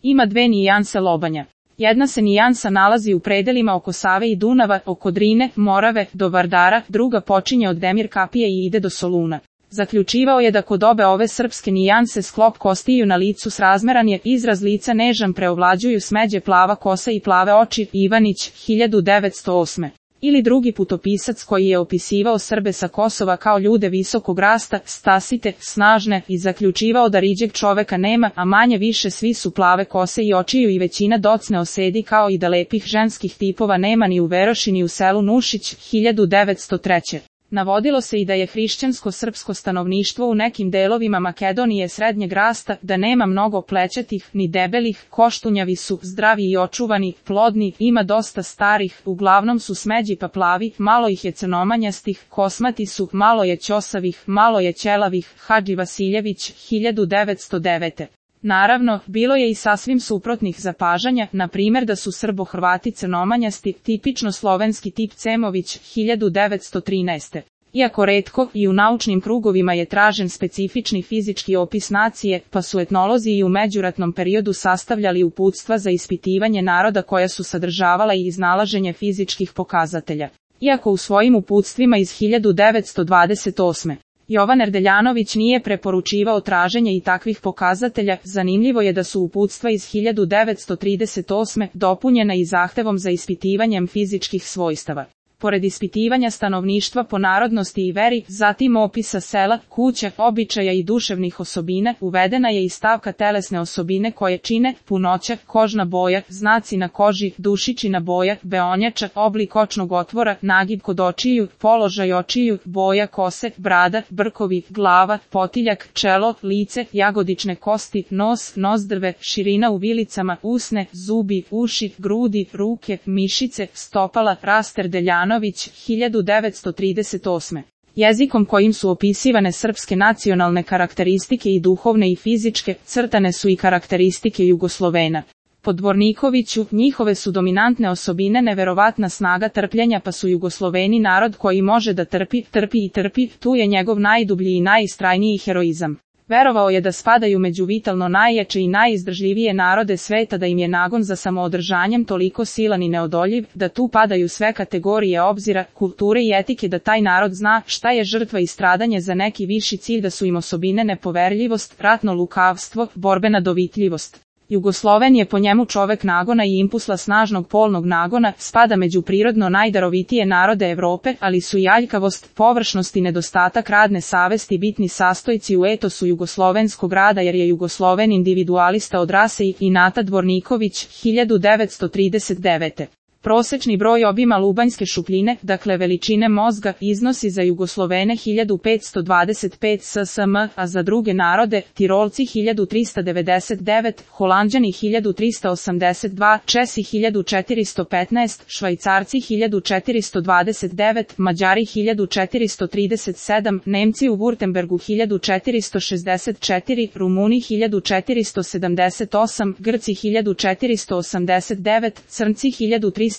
Ima dve nijanse lobanja. Jedna se nijansa nalazi u predelima oko Save i Dunava, oko Drine, Morave, do Vardara, druga počinje od Demir kapije i ide do Soluna. Zaključivao je da kod obe ove srpske nijanse sklop kostiju na licu srazmeran je, izraz lica nežan preovlađuju smeđe plava kosa i plave oči, Ivanić, 1908. Ili drugi putopisac koji je opisivao Srbe sa Kosova kao ljude visokog rasta, stasite, snažne, i zaključivao da riđeg čoveka nema, a manje više svi su plave kose i očiju i većina docne osedi kao i da lepih ženskih tipova nema ni u Veroši ni u selu Nušić, 1903. Navodilo se i da je hrišćansko-srpsko stanovništvo u nekim delovima Makedonije srednjeg rasta, da nema mnogo plećatih, ni debelih, koštunjavi su, zdravi i očuvani, plodni, ima dosta starih, uglavnom su smeđi pa plavi, malo ih je crnomanjastih, kosmati su, malo je ćosavih, malo je ćelavih, Hadži Vasiljević, 1909. Naravno, bilo je i sasvim suprotnih zapažanja, na primjer da su Srbo-Hrvati crnomanjasti, tipično slovenski tip Cemović, 1913. Iako retko, i u naučnim krugovima je tražen specifični fizički opis nacije, pa su etnolozi i u međuratnom periodu sastavljali uputstva za ispitivanje naroda koja su sadržavala i iznalaženje fizičkih pokazatelja. Iako u svojim uputstvima iz 1928. Jovan Erdeljanović nije preporučivao traženje i takvih pokazatelja, zanimljivo je da su uputstva iz 1938. dopunjena i zahtevom za ispitivanjem fizičkih svojstava. Pored ispitivanja stanovništva po narodnosti i veri, zatim opisa sela, kuća, običaja i duševnih osobina, uvedena je i stavka telesne osobine koje čine punoća, kožna boja, znaci na koži, dušičina boja, beonjača, oblik očnog otvora, nagib kod očiju, položaj očiju, boja kose, brada, brkovi, glava, potiljak, čelo, lice, jagodične kosti, nos, nozdrve, širina u vilicama, usne, zubi, uši, grudi, ruke, mišice, stopala, raster Deljanović, 1938. Jezikom kojim su opisivane srpske nacionalne karakteristike i duhovne i fizičke, crtane su i karakteristike Jugoslovena. Po Dvornikoviću, njihove su dominantne osobine neverovatna snaga trpljenja, pa su Jugosloveni narod koji može da trpi, trpi i trpi, tu je njegov najdublji i najistrajniji heroizam. Verovao je da spadaju među vitalno najjače i najizdržljivije narode sveta, da im je nagon za samoodržanjem toliko silan i neodoljiv, da tu padaju sve kategorije obzira, kulture i etike, da taj narod zna šta je žrtva i stradanje za neki viši cilj, da su im osobine nepoverljivost, ratno lukavstvo, borbena dovitljivost. Jugosloven je po njemu čovek nagona i impulsa snažnog polnog nagona, spada među prirodno najdarovitije narode Evrope, ali su i aljkavost, površnost i nedostatak radne savesti bitni sastojci u etosu jugoslovenskog rada, jer je Jugosloven individualista od rase i Nata Dvorniković, 1939. Prosečni broj obima lubanjske šupljine, dakle veličine mozga, iznosi za Jugoslovene 1525 ssm, a za druge narode, Tirolci 1399, Holanđani 1382, Česi 1415, Švajcarci 1429, Mađari 1437, Nemci u Württembergu 1464, Rumuni 1478, Grci 1489, Crnci 1330,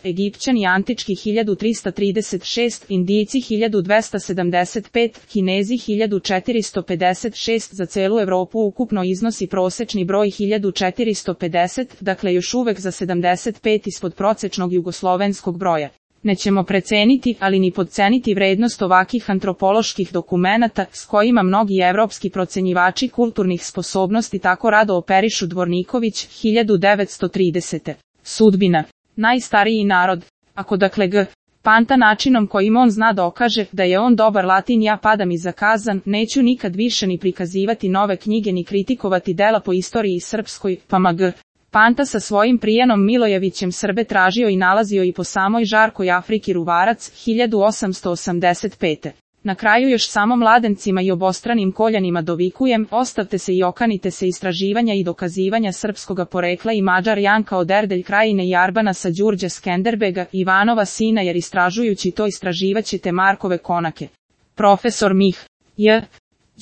Egipćani antički 1336, Indijci 1275, Kinezi 1456, za celu Evropu ukupno iznosi prosečni broj 1450, dakle još uvek za 75 ispod prosečnog jugoslovenskog broja. Nećemo preceniti, ali ni podceniti vrednost ovakih antropoloških dokumenata, s kojima mnogi evropski procenjivači kulturnih sposobnosti tako rado operišu. Dvorniković, 1930. Sudbina. Najstariji narod. Ako dakle G. Panta načinom kojim on zna dokaže da je on dobar Latin, ja padam i zakazan, neću nikad više ni prikazivati nove knjige ni kritikovati dela po istoriji srpskoj, pa G. Panta sa svojim Prijanom Milojevićem Srbe tražio i nalazio i po samoj žarkoj Afriki. Ruvarac, 1885. Na kraju još samo mladencima i obostranim koljanima dovikujem, ostavte se i okanite se istraživanja i dokazivanja srpskoga porekla i Mađar Janka od Erdelj Krajine i Arbana sa Đurđe Skenderbega, Ivanova sina, jer istražujući to istraživaćete Markove konake. Profesor Mih. J.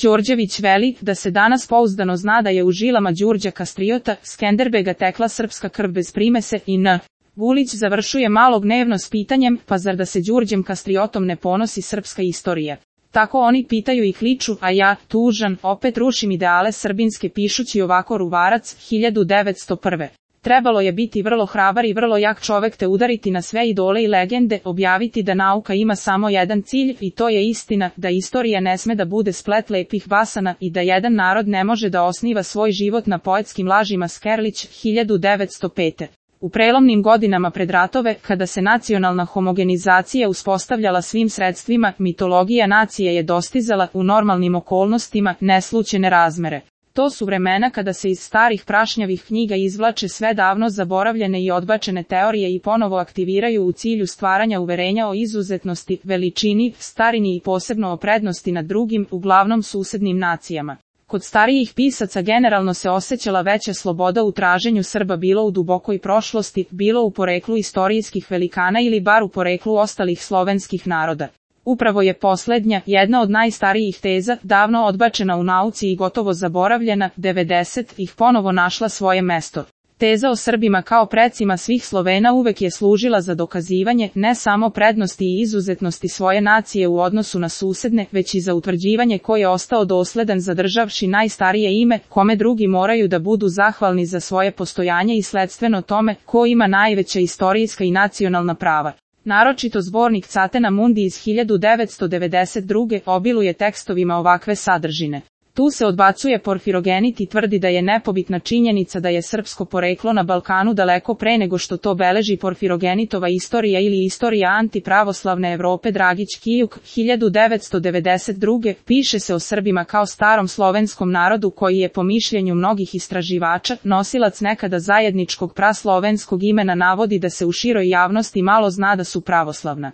Đorđević veli da se danas pouzdano zna da je u žilama Đurđa Kastriota, Skenderbega tekla srpska krv bez primese i N. Vulić završuje Malo gnevno s pitanjem, pa zar da se Đurđem Kastriotom ne ponosi srpska istorija? Tako oni pitaju i kliču, a ja, tužan, opet rušim ideale srbinske pišući ovako Ruvarac, 1901. Trebalo je biti vrlo hrabar i vrlo jak čovek te udariti na sve idole i legende, objaviti da nauka ima samo jedan cilj i to je istina, da istorija ne sme da bude splet lepih basana i da jedan narod ne može da osniva svoj život na poetskim lažima. Skerlić, 1905. U prelomnim godinama pred ratove, kada se nacionalna homogenizacija uspostavljala svim sredstvima, mitologija nacije je dostizala, u normalnim okolnostima, neslućene razmere. To su vremena kada se iz starih prašnjavih knjiga izvlače sve davno zaboravljene i odbačene teorije i ponovo aktiviraju u cilju stvaranja uverenja o izuzetnosti, veličini, starini i posebno o prednosti nad drugim, uglavnom susednim nacijama. Kod starijih pisaca generalno se osjećala veća sloboda u traženju Srba, bilo u dubokoj prošlosti, bilo u poreklu istorijskih velikana ili bar u poreklu ostalih slovenskih naroda. Upravo je poslednja, jedna od najstarijih teza, davno odbačena u nauci i gotovo zaboravljena, 90-ih ponovo našla svoje mesto. Teza o Srbima kao precima svih Slovena uvek je služila za dokazivanje ne samo prednosti i izuzetnosti svoje nacije u odnosu na susedne, već i za utvrđivanje ko je ostao dosledan zadržavši najstarije ime, kome drugi moraju da budu zahvalni za svoje postojanje i sledstveno tome ko ima najveća istorijska i nacionalna prava. Naročito zbornik Catena Mundi iz 1992. obiluje tekstovima ovakve sadržine. Tu se odbacuje Porfirogenit i tvrdi da je nepobitna činjenica da je srpsko poreklo na Balkanu daleko pre nego što to beleži Porfirogenitova istorija ili istorija antipravoslavne Evrope. Dragić Kijuk, 1992. piše se o Srbima kao starom slovenskom narodu koji je po mišljenju mnogih istraživača nosilac nekada zajedničkog praslovenskog imena, navodi da se u široj javnosti malo zna da su pravoslavna